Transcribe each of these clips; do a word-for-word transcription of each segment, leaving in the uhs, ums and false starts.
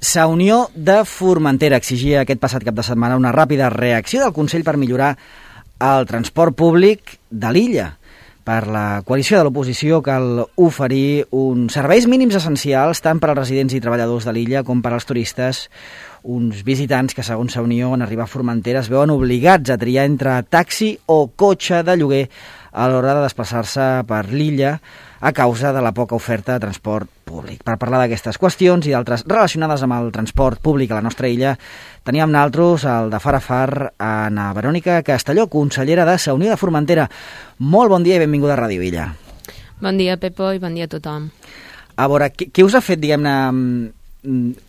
Sa Unió de Formentera exigia aquest passat cap de setmana una ràpida reacció del Consell per millorar el transport públic de l'illa. Per la coalició de l'oposició cal oferir uns serveis mínims essencials tant per als residents i treballadors de l'illa com per als turistes, uns visitants que, segons Sa Unió, en arribar a Formentera es veuen obligats a triar entre taxi o cotxe de lloguer a l'hora de desplaçar-se per l'illa a causa de la poca oferta de transport públic. Per parlar d'aquestes qüestions i d'altres relacionades amb el transport públic a la nostra illa, teníem naltros el de far a far Ana Verònica Castelló, consellera de Sa Unió de Formentera. Molt bon dia i benvinguda a Ràdio Illa. Bon dia, Pepo, i bon dia a tothom. A veure, què, què us ha fet, diguem-ne,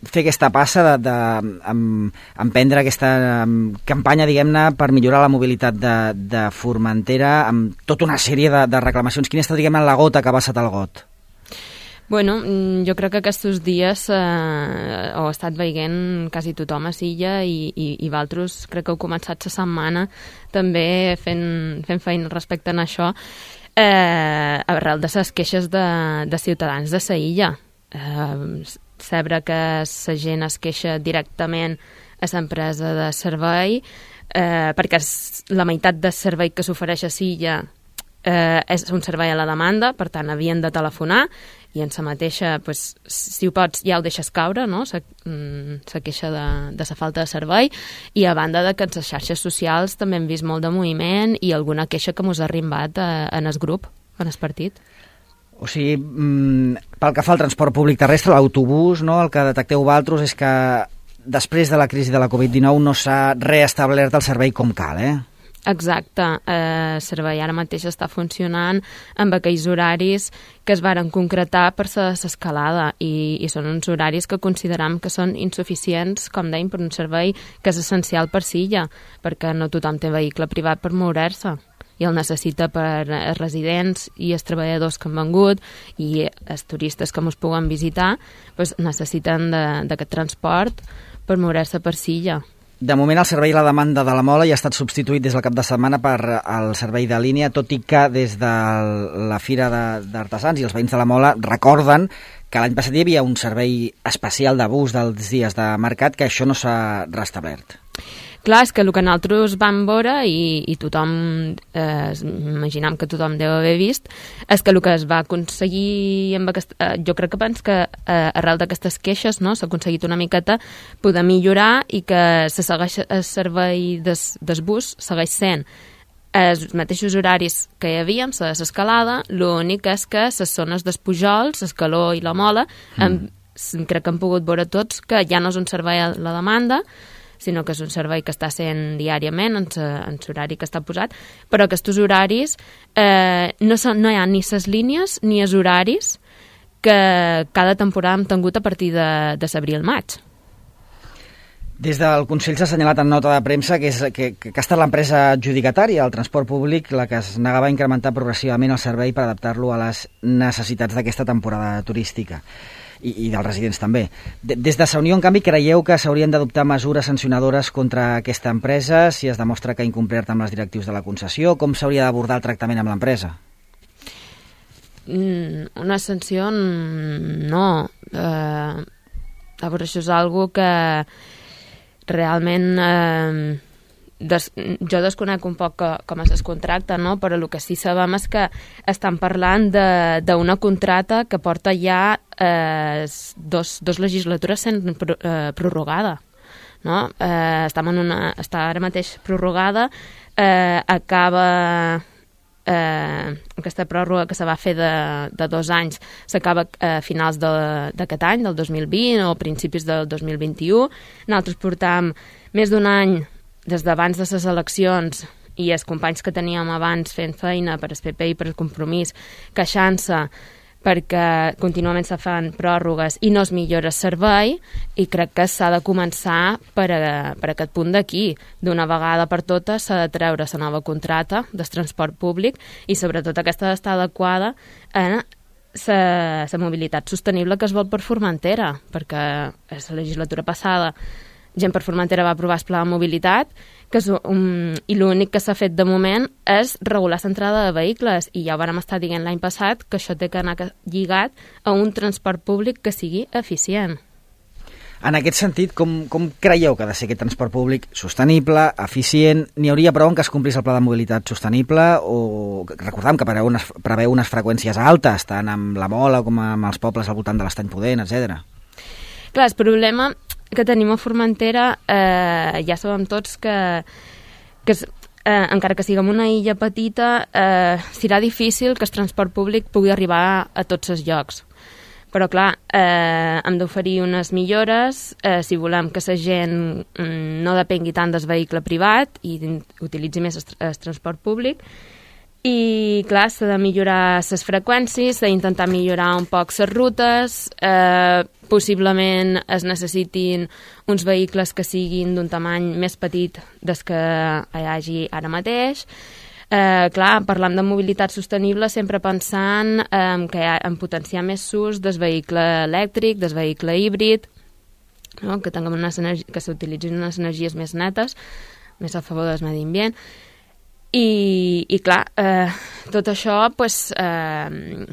fer aquesta passa de, de em, emprendre aquesta em, campanya, diguem-ne, per millorar la mobilitat de, de Formentera amb tota una sèrie de, de reclamacions? Quina ha estat, diguem-ne, la gota que ha passat el got? Bueno, jo crec que aquests dies eh, ho ha estat veient quasi tothom a Silla i, i, i vosaltres crec que heu començat la setmana també fent, fent feina respecte a això, eh, arrel de les queixes de, de ciutadans de sa illa. Eh, saber que la gent es queixa directament a l'empresa de servei eh, perquè la meitat del servei que s'ofereix a Silla eh, és un servei a la demanda, per tant havien de telefonar i en la mateixa, pues, si ho pots ja ho deixes caure, no? Se, se queixa de, de la falta de servei, i a banda de que en les xarxes socials també hem vist molt de moviment i alguna queixa que mos ha arribat eh, en el grup, en el partit. O sigui, pel que fa al transport públic terrestre, l'autobús, no, el que detecteu vosaltres és que després de la crisi de la covid dinou no s'ha reestablert el servei com cal, eh? Exacte. El servei ara mateix està funcionant amb aquells horaris que es varen concretar per l'escalada i, i són uns horaris que consideram que són insuficients, com dèiem, per un servei que és essencial per Silla, perquè no tothom té vehicle privat per moure-se i el necessita per els residents i els treballadors que han vengut i els turistes que ens puguen visitar, doncs necessiten d'aquest transport per moure-se per Silla. De moment el servei a la demanda de la Mola ja ha estat substituït des del cap de setmana per el servei de línia, tot i que des de la Fira d'Artesans i els veïns de la Mola recorden que l'any passat hi havia un servei especial de bus dels dies de mercat, que això no s'ha restablert. Clar, és que el que nosaltres vam veure, i, i tothom, eh, imaginam que tothom deu haver vist, és que el que es va aconseguir, amb aquest, eh, jo crec que pens que eh, arrel d'aquestes queixes, no, s'ha aconseguit una miqueta poder millorar i que se segueix el servei des, des bus segueix sent els mateixos horaris que hi havia amb l'escalada, l'únic és que les zones dels Pujols, l'Escaló i la Mola, mm. hem, crec que han pogut veure tots que ja no és un servei a la demanda, sinó que és un servei que està sent diàriament en l'horari que està posat, però aquests horaris eh, no, són, no hi ha ni les línies ni els horaris que cada temporada hem tingut a partir de, de l'abril-maig. Des del Consell s'ha assenyalat en nota de premsa que, és, que, que ha estat l'empresa adjudicatària del transport públic la que es negava a incrementar progressivament el servei per adaptar-lo a les necessitats d'aquesta temporada turística. I, i dels residents també. Des de Sa Unió, en canvi, creieu que s'haurien d'adoptar mesures sancionadores contra aquesta empresa si es demostra que ha incomplert amb les directius de la concessió? Com s'hauria d'abordar el tractament amb l'empresa? Mm, una sanció no. Eh, a veure, això és algo que realment eh, des, jo desconec un poc que, com es contracta, no? Però el que sí sabem és que estan parlant d'una contracta que porta ja eh, dos, dos legislatures sent pro, eh, prorrogada, no? Eh, estem en una, està ara mateix prorrogada, eh, acaba eh, aquesta pròrroga que se va fer de, de dos anys s'acaba a finals d'aquest any, del dos mil vint o principis del dos mil vint-i-u. Nosaltres portam més d'un any des d'abans de les eleccions i els companys que teníem abans fent feina per el P P i per el Compromís queixant-se perquè contínuament se fan pròrrogues i no es millora el servei, i crec que s'ha de començar per, a, per aquest punt d'aquí. D'una vegada per totes s'ha de treure la nova contracta del transport públic i sobretot aquesta ha d'estar adequada a la mobilitat sostenible que es vol per Formentera, perquè la legislatura passada Gent per Formentera va aprovar el pla de mobilitat, que és un, i l'únic que s'ha fet de moment és regular l'entrada de vehicles, i ja ho vam estar dient l'any passat que això té que anar lligat a un transport públic que sigui eficient. En aquest sentit, com, com creieu que ha de ser aquest transport públic sostenible, eficient? N'hi hauria prou en que es complís el pla de mobilitat sostenible? O recordem que preveu unes, preveu unes freqüències altes, tant amb la Mola com amb els pobles al voltant de l'Estany Pudent, etcètera. Clar, el problema que tenim a Formentera, eh, ja sabem tots que, que es, eh, encara que siguem una illa petita, eh, serà difícil que el transport públic pugui arribar a tots els llocs. Però, clar, eh, hem d'oferir unes millores eh, si volem que la gent mm, no depengui tant del vehicle privat i utilitzi més el, el transport públic. I, clar, s'ha de millorar les freqüències, s'ha d'intentar millorar un poc les rutes, eh, possiblement es necessitin uns vehicles que siguin d'un tamany més petit des que hi hagi ara mateix. Eh, clar, parlant de mobilitat sostenible sempre pensant eh, que ha, en potenciar més l'ús del vehicle elèctric, del vehicle híbrid, no? que tinguem unes energi- que s'utilitzin unes energies més netes, més a favor del medi ambient. I, i clar, eh, tot això pues, eh,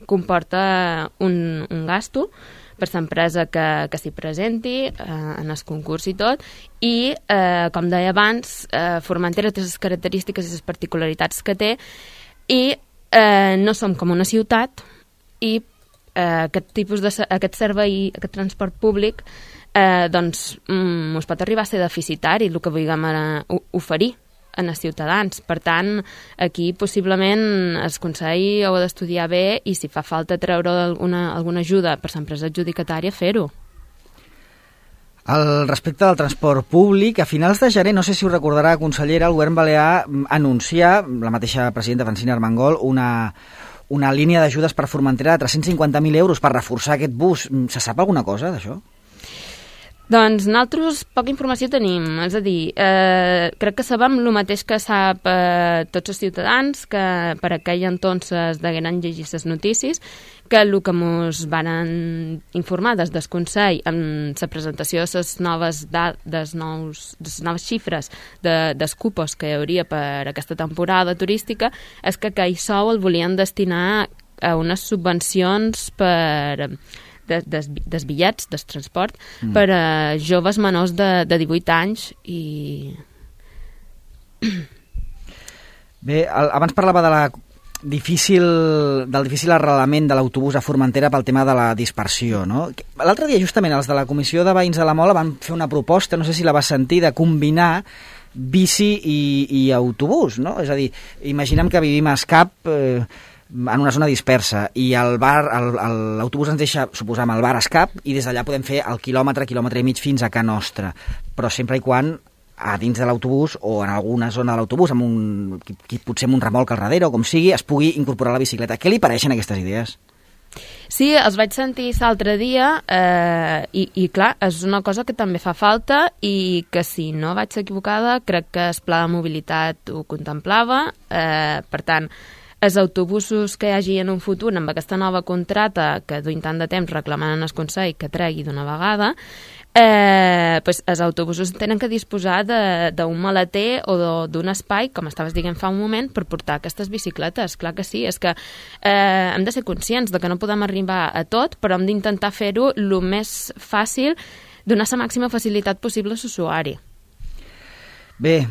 comporta un, un gasto per l'empresa que, que s'hi presenti eh, en el concurs i tot, i eh, com deia abans, eh, Formentera té les característiques i les particularitats que té, i eh, no som com una ciutat, i eh, aquest tipus de aquest servei, aquest transport públic eh, doncs mm, us pot arribar a ser deficitari el que vulguem eh, oferir en els ciutadans. Per tant, aquí possiblement el Consell ho ha d'estudiar bé i si fa falta treure alguna, alguna ajuda per l'empresa adjudicatària, fer-ho. Al respecte del transport públic, a finals de gener, no sé si ho recordarà, consellera, el govern balear anuncia, la mateixa presidenta Francina Armengol, una, una línia d'ajudes per Formentera de tres-cents cinquanta mil euros per reforçar aquest bus. Se sap alguna cosa d'això? Doncs nosaltres poca informació tenim, és a dir, eh, crec que sabem el mateix que sap eh, tots els ciutadans, que per aquell entonces degueren llegir les notícies, que el que ens van informar des del Consell amb la presentació de les noves, des nous, des noves xifres de, dels cupos que hi hauria per aquesta temporada turística és que aquell sou el volien destinar a unes subvencions per... Des, des, des bitllets, del transport, mm. per a joves menors de, de divuit anys i... Bé, el, abans parlava de la difícil, del difícil arrelament de l'autobús a Formentera pel tema de la dispersió, no? L'altre dia, justament, els de la Comissió de Veïns de la Mola van fer una proposta, no sé si la vas sentir, de combinar bici i, i autobús, no? És a dir, imaginem que vivim a Escap... Eh, en una zona dispersa, i el bar, l'autobús ens deixa, suposam, el bar Escap, i des d'allà podem fer el quilòmetre, quilòmetre i mig fins a Can Nostra, però sempre i quan a dins de l'autobús o en alguna zona de l'autobús, amb un, potser amb un remolc al darrere o com sigui, es pugui incorporar la bicicleta. Què li pareixen aquestes idees? Sí, els vaig sentir l'altre dia eh, i, i clar, és una cosa que també fa falta i que si no vaig equivocada crec que el pla de mobilitat ho contemplava, eh, per tant els autobusos que hi hagi en un futur amb aquesta nova contrata que duim tant de temps reclamant en el Consell que tregui d'una vegada, eh, pues els autobusos tenen que disposar d'un maleter o d'un espai, com estaves dient fa un moment, per portar aquestes bicicletes. Clar que sí, és que eh, hem de ser conscients de que no podem arribar a tot, però hem d'intentar fer-ho el més fàcil, donar la màxima facilitat possible a l'usuari. Bé,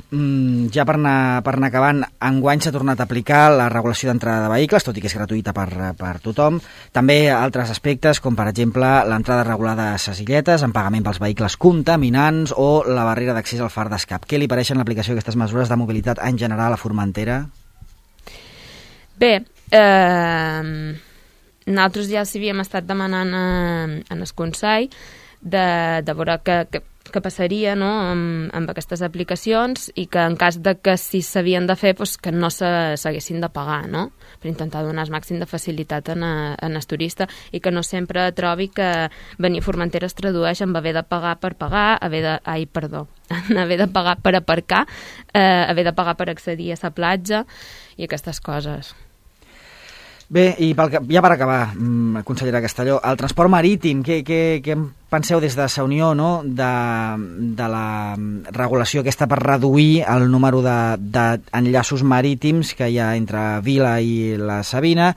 ja per anar, per anar acabant, enguany s'ha tornat a aplicar la regulació d'entrada de vehicles, tot i que és gratuïta per, per tothom. També altres aspectes, com per exemple l'entrada regulada a ses illetes, en pagament pels vehicles contaminants o la barrera d'accés al far d'Escap. Què li pareixen l'aplicació d'aquestes mesures de mobilitat en general a Formentera? Bé, eh, nosaltres ja s'hi havíem estat demanant a, en el Consell de, de veure que, que que passaria, no?, amb, amb aquestes aplicacions i que en cas de que si s'havien de fer, doncs que no s'haguessin de pagar, no?, per intentar donar el màxim de facilitat en, a, en el turista i que no sempre trobi que venir a Formentera es tradueix en haver de pagar per pagar, haver de... Ai, perdó, en haver de pagar per aparcar, eh, haver de pagar per accedir a la platja i aquestes coses. Bé, i pel, ja per acabar, consellera Castelló, el transport marítim, què, què, què en penseu des de la Unió, no?, de, de la regulació aquesta per reduir el número d'enllaços marítims que hi ha entre Vila i la Sabina?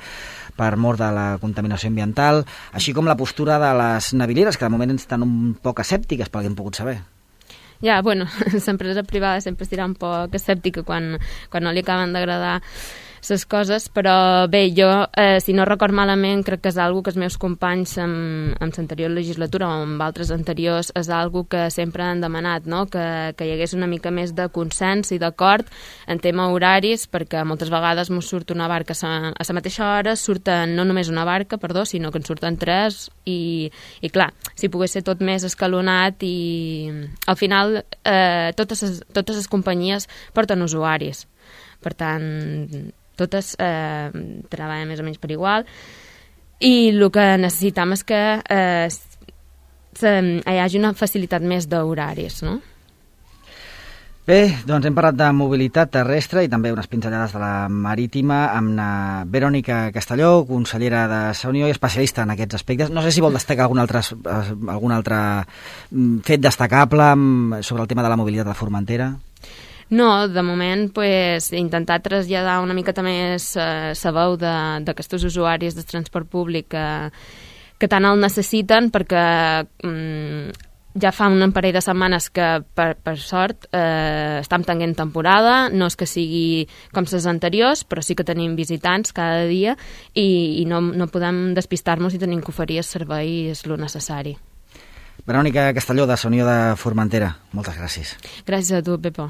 per mort de la contaminació ambiental, així com la postura de les navileres, que de moment estan un poc escèptiques, pel que hem pogut saber. Ja, bueno, l'empresa privada sempre estirà un poc escèptica quan, quan no li acaben d'agradar les coses, però bé, jo, eh, si no record malament, crec que és algo que els meus companys en, en l'anterior legislatura o en altres anteriors és algo que sempre han demanat, no? que, que hi hagués una mica més de consens i d'acord en tema horaris, perquè moltes vegades ens surt una barca a la mateixa hora, surten no només una barca, perdó, sinó que en surten tres i, i clar, si pogués ser tot més escalonat i al final eh, totes les, totes les companyies porten usuaris, per tant totes eh, treballen més o menys per igual i el que necessitem és que eh, se, hi hagi una facilitat més d'horaris, no? Bé, doncs hem parlat de mobilitat terrestre i també unes pinzellades de la marítima amb la Verònica Castelló, consellera de la Unió i especialista en aquests aspectes. No sé si vol destacar algun altre, algun altre fet destacable sobre el tema de la mobilitat de Formentera. No, de moment pues, intentar traslladar una miqueta més eh, la veu d'aquests usuaris del transport públic que, que tant el necessiten perquè mm, ja fa un parell de setmanes que per, per sort eh, estem tenint temporada, no és que sigui com les anteriors, però sí que tenim visitants cada dia i, i no, no podem despistar-nos i tenim que oferir els serveis lo necessari. Verònica Castelló, de la Unió de Formentera, moltes gràcies. Gràcies a tu, Pepo.